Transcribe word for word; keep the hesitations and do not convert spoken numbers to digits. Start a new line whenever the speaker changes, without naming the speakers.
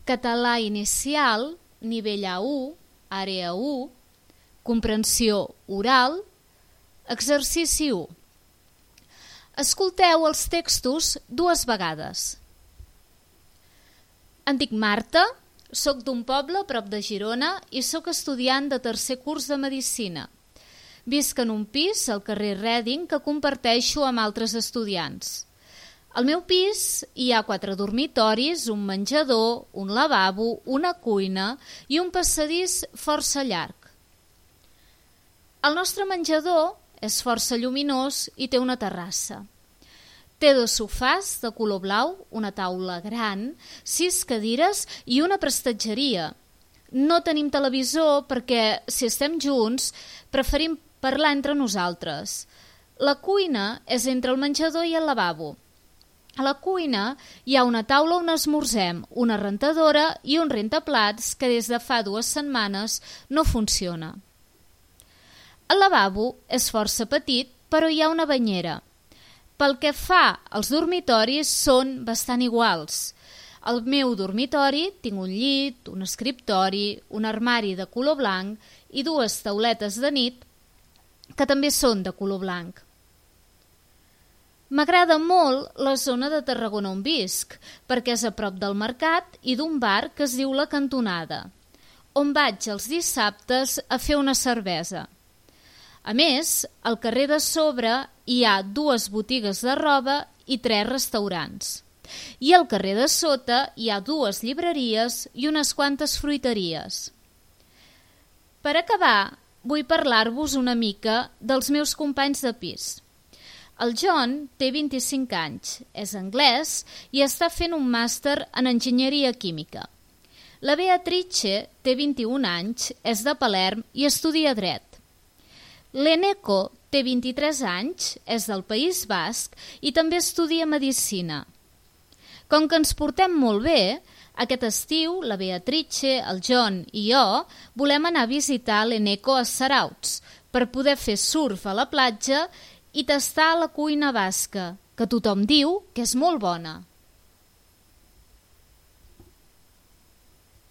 Català inicial, nivell A u, àrea u, comprensió oral, exercici u. Escolteu els textos dues vegades. Em dic Marta, soc d'un poble a prop de Girona i soc estudiant de tercer curs de Medicina. Visc en un pis al carrer Reading que comparteixo amb altres estudiants. Al meu pis hi ha quatre dormitoris, un menjador, un lavabo, una cuina i un passadís força llarg. El nostre menjador és força lluminós i té una terrassa. Té dos sofàs de color blau, una taula gran, sis cadires i una prestatgeria. No tenim televisor perquè, si estem junts, preferim parlar entre nosaltres. La cuina és entre el menjador i el lavabo. A la cuina hi ha una taula on esmorzem, una rentadora i un rentaplats que des de fa dues setmanes no funciona. El lavabo és força petit, però hi ha una banyera. Pel que fa als dormitoris, són bastant iguals. Al meu dormitori tinc un llit, un escriptori, un armari de color blanc i dues tauletes de nit que també són de color blanc. M'agrada molt la zona de Tarragona on visc, perquè és a prop del mercat i d'un bar que es diu La Cantonada, on vaig els dissabtes a fer una cervesa. A més, al carrer de sobre hi ha dues botigues de roba i tres restaurants. I al carrer de sota hi ha dues llibreries i unes quantes fruiteries. Per acabar, vull parlar-vos una mica dels meus companys de pis. El John té vint-i-cinc anys, és anglès i està fent un màster en enginyeria química. La Beatrice té vint-i-un anys, és de Palerm i estudia dret. L'Eneko té vint-i-tres anys, és del País Basc i també estudia medicina. Com que ens portem molt bé, aquest estiu la Beatrice, el John i jo volem anar a visitar l'Eneko a Sarauts per poder fer surf a la platja i tastar la cuina basca, que tothom diu que és molt bona.